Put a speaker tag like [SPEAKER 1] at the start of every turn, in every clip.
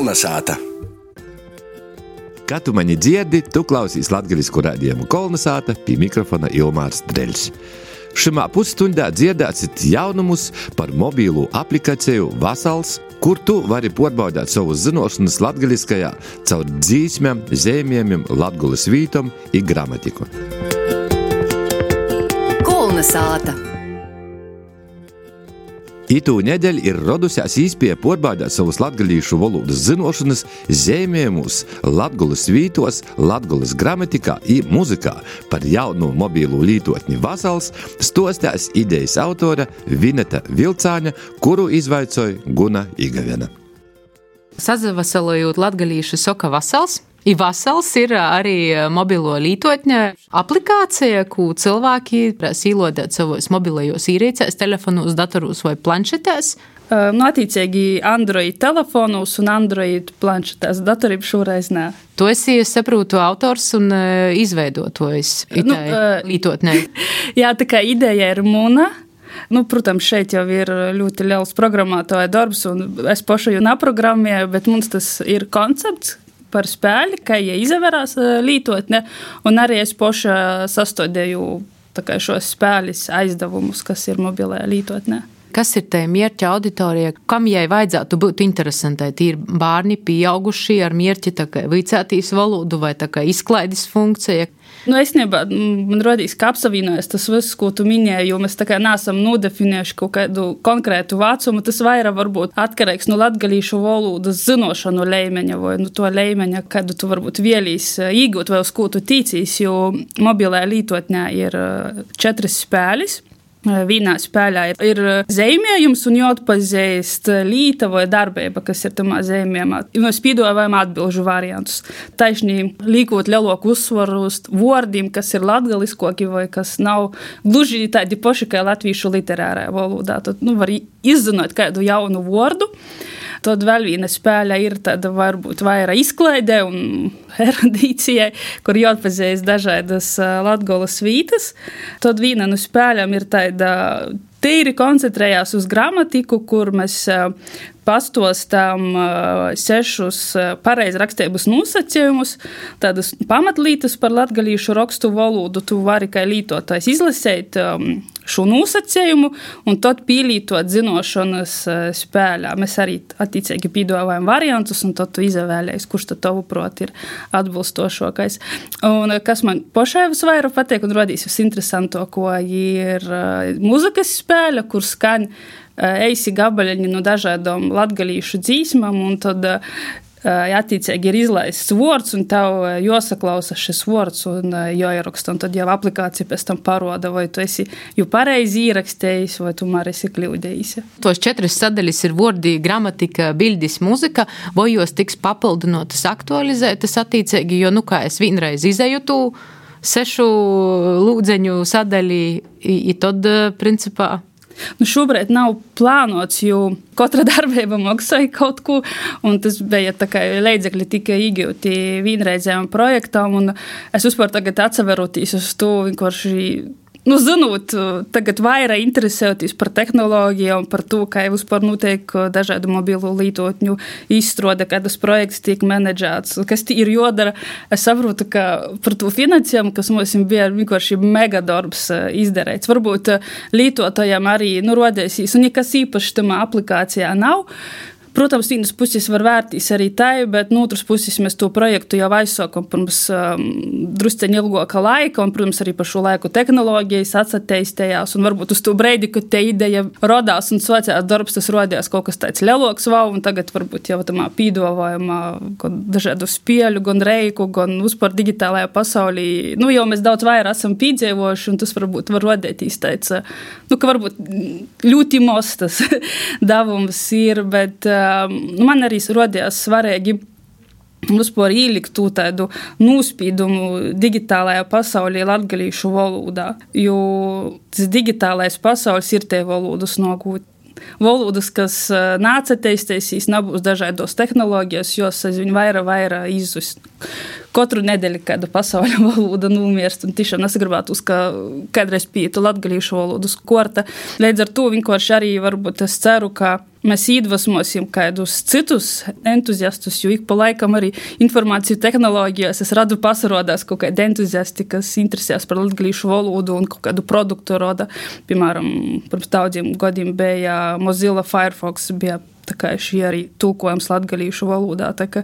[SPEAKER 1] Kolnesāta.
[SPEAKER 2] Kā tu mani dzirdi, tu klausīs latgaļisku raidījumu Kolnesāta, pie mikrofona Ilmārs Dreļs. Šimā pusstundā dzirdēsit jaunumus par mobīlu aplikāciju Vasals, kur tu vari porbaudāt savus zinošanas latgaļiskajā caur dzīsmēm, zīmējumiem, latgulas vītom i gramatiku.
[SPEAKER 3] Kolnesāta.
[SPEAKER 2] Itū nedēļ ir rodusies īspēja porbaudāt savus latgalīšu valodas zinošanas zīmējumus latgulas vītos, latgulas gramatikā i muzikā. Par jaunu mobīlu lītotni Vasals stostās idejas autora Vineta Vilcāņa, kuru izvaicoja Guna Igavena.
[SPEAKER 4] Sazavasalojot latgalīšu soka Vasals. I Vasals ir arī mobilo lītotņa aplikācija, ko cilvēki īlodēt savos mobilajos īrīcēs, telefonos, datoros vai planšetēs.
[SPEAKER 5] Attiecīgi Android telefonos un Android planšetēs, datorību šoreiz nē.
[SPEAKER 4] Tu esi, es saprotu, autors un izveidotājs lītotnē.
[SPEAKER 5] Jā, tā kā ideja ir muna. Protams, šeit jau ir ļoti liels programmētāja darbs, un es pašu jau naprogrammēju, bet mums tas ir koncepts par spēli, kā izvērās lītotne, un arī es paša sastādēju šos spēles aizdevumus, kas ir mobilajā lītotnē.
[SPEAKER 4] Kas ir tā mērķa auditorija? Kam jai vajadzētu būt interesantai? Ir bērni, pieaugušie ar mērķi vicētīs valodu vai izklaides funkcija?
[SPEAKER 5] Esnībā, man rodīs, ka apsavienojas tas viss, ko tu minēji, jo mēs neesam nodefinējuši kaut kādu konkrētu vecumu. Tas vairāk varbūt atkarīgs no latgalīšu valodas zinošanu līmeņa vai to līmeņa, kādu tu varbūt vēlīs iegūt vai uz ko tu ticīs, jo mobilajā lītotnē ir 4 spēles. Vienā spēlē ir zīmējums un jāatpazīst līta vai darbība, kas ir tamā zīmējumā. Mēs piedāvājam atbilžu variantus. Taisnī liekot lielāku uzsvaru uz vārdiem, kas ir latgaliskoki vai kas nav gluži tādi paši kā latviešu literārajā valodā. Tad var izzināt kādu jaunu vārdu. Tad vēl viena spēle ir tāda varbūt vairāk izklaidē un erudīcijai, kur jāatpazīst dažādas latgolas vītas. Tad viena no spēlēm ir tāda tīri koncentrējās uz gramatiku, kur mēs pastostām 6 pareizrakstības nosacījumus, tādas pamatlītas par latgalīšu rakstu valodu. Tu vari kā lītotājs izlasēt šo nosacījumu un tad pielītot zinošanas spēlē. Mēs arī attiecīgi piedāvājam variantus, un tad tu izvēlējies, kurš tad tavuprāt ir atbilstošākais. Un kas man pašai visvairāk patīk un rodīs visinteresantāko, ir muzikas spēle, kur skan eisi gabaļiņi no dažādām latgalīšu dzīsmām, un tad attiecīgi ir izlaists vārds, un tev jāsaklausa šis vārds un jāieraksta, un tad jau aplikācija pēc tam paroda, vai tu esi jau pareizi ierakstējis, vai tu mār esi kļūdējis.
[SPEAKER 4] Tos 4 sadaļas ir vārdi, gramatika, bildis, muzika, vai jos tiks papildinotas, aktualizētas attiecīgi, jo, kā es vienreiz izēju tu 6 lūdzeņu sadaļi, i tad, principā,
[SPEAKER 5] šobrīd nav plānots, jo katra darbība maksāja kaut ko, un tas bija tā kā līdzekļi tika iegūti vienreizējām projektām, un es vispār tagad atseveroties uz to vienkārši, zinot, tagad vairāk interesējoties par tehnoloģijām, par to, kā vispār notiek dažādu mobilu lītotņu izstrāde, kādas projekts tiek menedžēts, kas ir jodara. Es saprotu, ka par to finansējumu, kas mums bija vienkārši mega darbs izdarīts. Varbūt lītotājiem arī rodēsīs, un nekas īpaši tamā aplikācijā nav. Protams, vienas puses var vērtīs arī tai, bet no otras puses mēs to projektu jau aizsākam pirms drusceņi ilgāka laika, un, protams, arī par šo laiku tehnoloģijas atsateistējās, un varbūt uz to breidi, kad te ideja rodās un svecās darbs, tas rodījās kaut kas tāds lielāks, un tagad varbūt jau tamā pīdovājumā gan dažādu spēļu, gan reiku, gan vispār digitālajā pasaulī, jau mēs daudz vairāk esam piedzīvojuši, un tas varbūt var rodētīs tāds, ka varbūt ļoti mostas davums ir, bet man arī rodījās svarīgi vispār ielikt tādu nospīdumu digitālajā pasaulī latgalīšu valodā, jo tas digitālais pasaules ir tie valodas nogūt. Valodas, kas nāca teistēsīs, nebūs dažādos tehnoloģijas, jos aizvien vairāk izzus. Katru nedēļu kāda pasauļa valoda nomirst, un tiešām nesagribētu ka kādreiz pietu latgalīšu valodas korta. Līdz ar to vienkārši arī varbūt es ceru, ka mēs iedvesmosim kādus citus entuziastus, jo ik pa laikam arī informāciju tehnoloģijās es radu pasarodās kaut kādi entuziasti, kas interesēs par latgalīšu valodu un kaut kādu produktu roda. Piemēram, pirms daudziem gadiem bija Mozilla Firefox, bija tā kā šī arī tulkojums latgalīšu valodā. Tā ka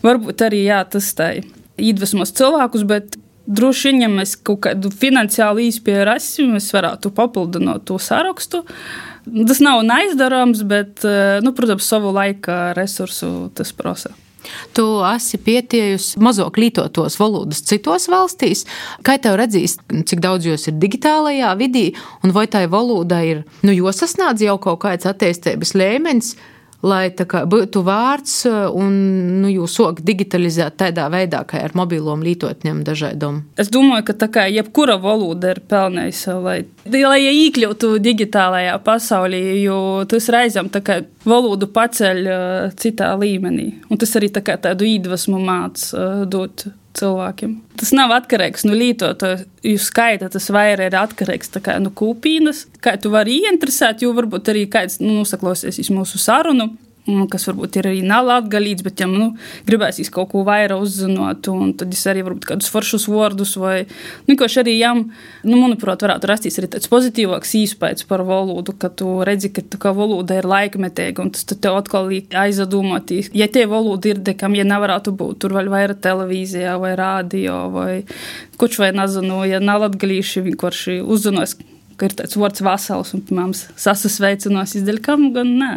[SPEAKER 5] varbūt arī, jā, tas tā iedvesmos cilvēkus, bet droši vien, ja mēs kaut kādu finansiālu īspēju rasim, mēs varētu papildināt to sarakstu. Tas nav neizdarāms, bet, protams, savu laika resursu tas prasa.
[SPEAKER 4] Tu esi pietiejusi mazāk lietotos valodas citos valstīs. Kā tev redzīs, cik daudz jūs ir digitālajā vidī, un vai tai valoda ir, josasnādz jau kaut kāds attīstības līmenis, lai tā kā būtu vārds un jūs sāk digitalizēt tādā veidā, kā ar mobilom lietotņiem dažādom?
[SPEAKER 5] Es domāju, ka tā kā jebkura valoda ir pelnējusi, lai iekļūtu digitālajā pasaulī, jo tas reizēm tā kā valodu paceļ citā līmenī. Un tas arī tā kā tādu iedvesmu māc dot cilvēkiem. Tas nav atkarīgs no lietotāju skaita, tas vairāk ir atkarīgs tā kā no kūpīnas. Kā tu vari ieinteresēt, jo varbūt arī kāds nosaklausies mūsu sarunu, kas varbūt ir arī nav latgalīts, bet jām gribēsīs kaut ko vairāk uzzinot, un tad es arī varbūt kādus foršus vārdus vai vienkārši arī jām, manuprāt, varētu rasties arī tāds pozitīvāks īspējas par valodu, ka tu redzi, ka tā kā valoda ir laikmetīga, un tas tev atkal aizadomātīs. Ja tie valoda ir dekam, ja nevarētu būt, tur vēl vairāk televīzijā vai rādio vai koč vai nezinu, ja nav latgalīši vienkārši uzzinos, ka ir tāds vārds vasals un, piemēram, sasasveicinās izdeļkam, gan nē.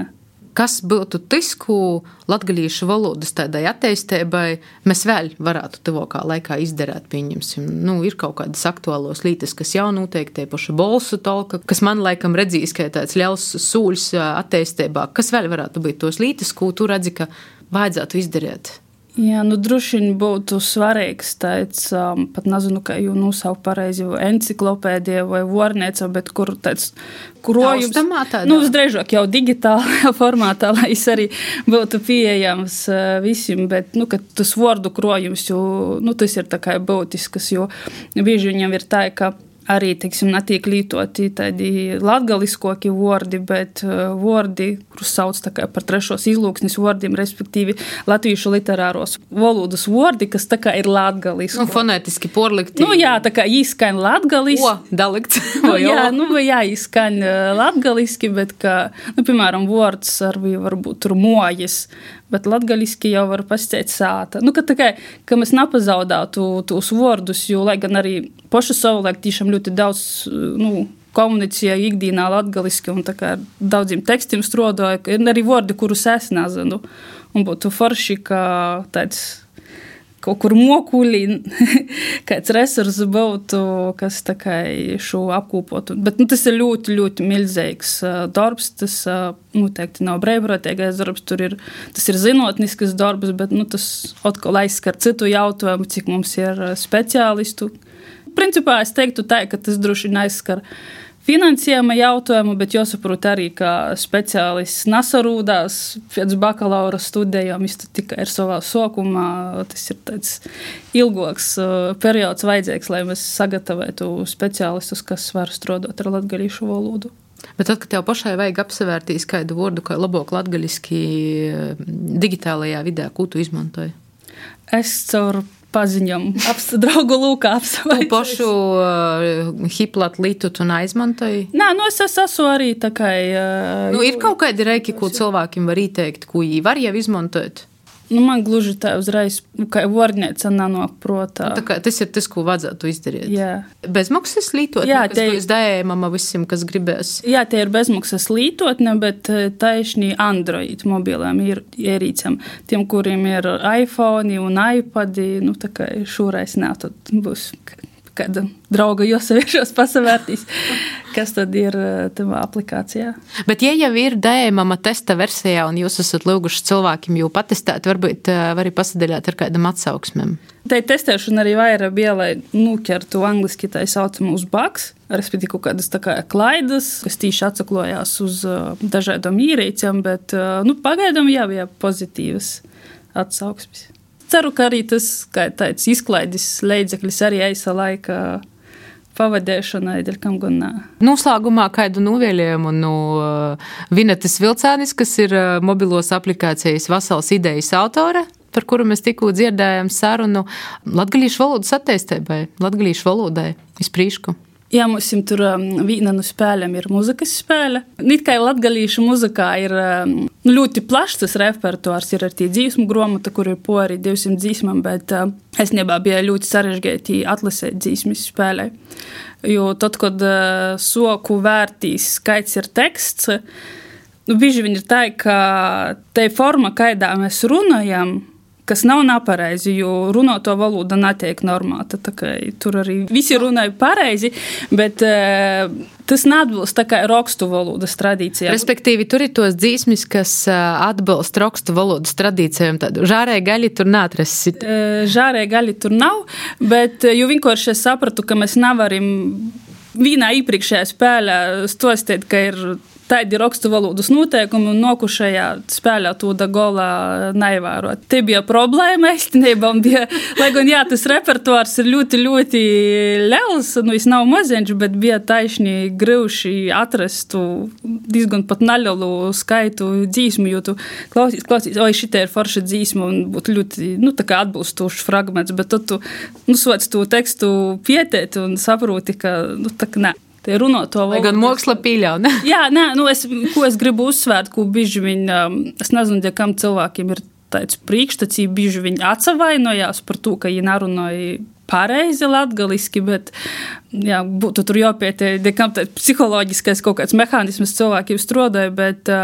[SPEAKER 4] Kas būtu tas, ko latgalīšu valodas tādai attīstībai mēs vēl varētu tuvākā laikā izdarīt, pieņemsim. Ir kaut kādas aktuālos lītas, kas jau noteikti tie paši bolsu tolka, kas man laikam redzīs, ka tāds liels sūļs attīstībā. Kas vēl varētu būt tos lītas, ko tu redzi, ka vajadzētu izdarīt?
[SPEAKER 5] Jā, droši vien būtu svarīgs tāds, pat nezinu, kā jau nosaukt pareizi, enciklopēdija vai vornēca, bet kur tāds krojums, visdrīzāk jau digitālajā formātā, lai es arī būtu pieejams visiem, bet, kad tas vārdu krojums, jo, tas ir tā kā būtisks, jo bieži viņam ir tā, ka arī, teiksim, netiek lietoti tādi latgaliskoki vārdi, bet vārdi, kurus sauc tā kā par trešos izlūksnis vārdiem, respektīvi latviešu literāros valodas vārdi, kas tā kā ir latgaliski.
[SPEAKER 4] Fonētiski porlikti.
[SPEAKER 5] Jā, tā kā īskaņ latgaliski.
[SPEAKER 4] Dalikts.
[SPEAKER 5] Jā, īskaņ latgaliski, bet kā, piemēram, vārds arī varbūt tur mojas, bet latgaliski jau var pasitēt sāta. Ka mēs nepazaudātu tos vārdus, jo, lai gan arī paši savulaik tiešām ļoti daudz, komunicēja ikdienā latgaliski un tā kā daudziem tekstiem strādāja, ir arī vārdi, kurus es nezinu. Un būtu forši, ka tāds kaut kur mokuļi, kāds resurs būtu, kas tā kā šo apkūpotu. Bet tas ir ļoti, ļoti milzīgs darbs, tas noteikti nav brīvprātīgais darbs, tas ir zinātnisks darbs, bet tas atkal aizskar citu jautājumu, cik mums ir speciālistu. Principā es teiktu tā, ka tas droši vien aizskar finansējuma jautājumu, bet jāsaprot arī, ka speciālists nasarūdās pēc bakalaura studijām, viņš tikai ir savā sākumā, tas ir tāds ilgāks periods vajadzīgs, lai mēs sagatavētu speciālistus, kas var strādāt ar latgalīšu valodu.
[SPEAKER 4] Bet tad, kad tev pašai vajag apsevērtīs kādu vārdu, kā labāk latgaliski digitālajā vidē, ko tu izmantoji?
[SPEAKER 5] Es caur paziņam, draugu lūkā apsavaicies.
[SPEAKER 4] Tu pašu hiplat lītu tu neizmantoji?
[SPEAKER 5] Nē, es esmu arī tā kā...
[SPEAKER 4] ir kaut kādi reiki, ko cilvēkiem var ieteikt, ko viņi var jau izmantot?
[SPEAKER 5] Man gluži tā uzreiz, kā vārnēca nanāk protā.
[SPEAKER 4] Tas ir tas, ko vajadzētu izdarīt.
[SPEAKER 5] Jā.
[SPEAKER 4] Bezmaksas lītotne, kas būs dējumama visiem, kas gribēs?
[SPEAKER 5] Jā, tie ir bezmaksas lītotne, bet taišņi Android mobilēm ir ierīcam. Tiem, kuriem ir iPhone un iPadi, tā kā šūrais nā, tad būs kāda drauga josaviešos pasavērtīs, kas tad ir tavā aplikācijā.
[SPEAKER 4] Bet ja jau ir dējumama testa versijā un jūs esat lūguši cilvēkiem jau patestēt, varbūt var pasadaļāt ar kādam atsauksmēm?
[SPEAKER 5] Tai testēšana arī vairāk bija, lai nuķertu angliski tā saucamu uz bugs, respektīvi kaut kādas tā kā klaidas, kas tīši atsaklojās uz dažādām ierīcēm, bet pagaidām jau bija pozitīvas atsauksmes. Ceru, ka arī tas, kā tāds izklaidis līdzeklis arī aisa laika pavadēšanai, dēļ kam gan nā.
[SPEAKER 4] Noslēgumā kādu novēlējumu no Vinetas Vilcānis, kas ir mobilos aplikācijas Vasalas idejas autore, par kuru mēs tikko dzirdējām sarunu latgalīšu valodas attīstībai, latgalīšu valodai izprīšku.
[SPEAKER 5] Jā, mums tur vīna no spēlēm ir muzikas spēle. Nīt kā latgalīšu muzikā ir ļoti plašs tas repertuārs, ir ar tī dzīsmu gromata, kur ir po arī 200 dzīsmam, bet es nebā bija ļoti sarežģēti atlasēt dzīsmis spēlē. Jo tad, kad soku vērtīs skaits ir teksts, bieži vien ir tā, ka te forma, kaidā mēs runājam, kas nav nepareizi, jo runoto valoda netiek normāta. Tur arī visi runāja pareizi, bet tas neatbilst tā kā rakstu valodas tradīcijām.
[SPEAKER 4] Respektīvi, tur ir tos dzīsmis, kas atbilst rakstu valodas tradīcijām. Žārē gaļi tur neatrasit.
[SPEAKER 5] Žārē gaļi tur nav, bet jo vienkārši es sapratu, ka mēs nevaram vienā iepriekšējā spēlē stostēt, ka ir tādi rakstu valodas noteikumi un nokušajā spēlē to da golā neivērot. Te bija problēma īstenībā, un bija, lai gan jā, tas repertuārs ir ļoti, ļoti liels, es nav maziņš, bet bija taisni grūši atrast diezgan pat nelielu skaitu dzīsmu, jo tu klausies, oi, šitie ir forša dzīsma un būtu ļoti, tā kā atbilstošs fragments, bet tad tu, soc to tekstu pietēt un saproti, ka, tā kā nē.
[SPEAKER 4] Lai gan māksla pīļauj, ne?
[SPEAKER 5] Jā, nē, ko es gribu uzsvērt, ko bieži viņi, es nezinu, kam cilvēkiem ir tāds priekšstats, bieži viņi atsavainojās par to, ka viņi nerunāja pareizi latgaliski, bet jā, būtu tur jāpietē, kam tāds psiholoģiskais kaut kāds mehānisms cilvēkiem strādāja, bet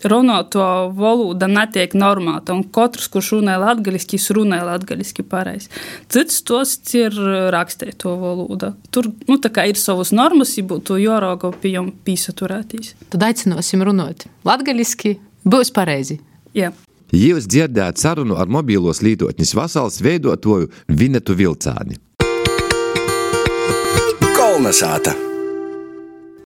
[SPEAKER 5] runoto valoda netiek normāta, un katrs, kurš runāja latgaliski, runāja latgaliski pareizi. Cits tos ir rakstēt to valodu. Tur, tā kā ir savas normas, ja būtu jārauga pie jom pīsaturētīs.
[SPEAKER 4] Tad aicinosim runāt latgaliski, būs pareizi.
[SPEAKER 5] Jā.
[SPEAKER 2] Jūs dzirdēt sarunu ar mobīlos lietotņas Vasalas veidotoju Vinetu Vilcāni.
[SPEAKER 1] Kolnesāta.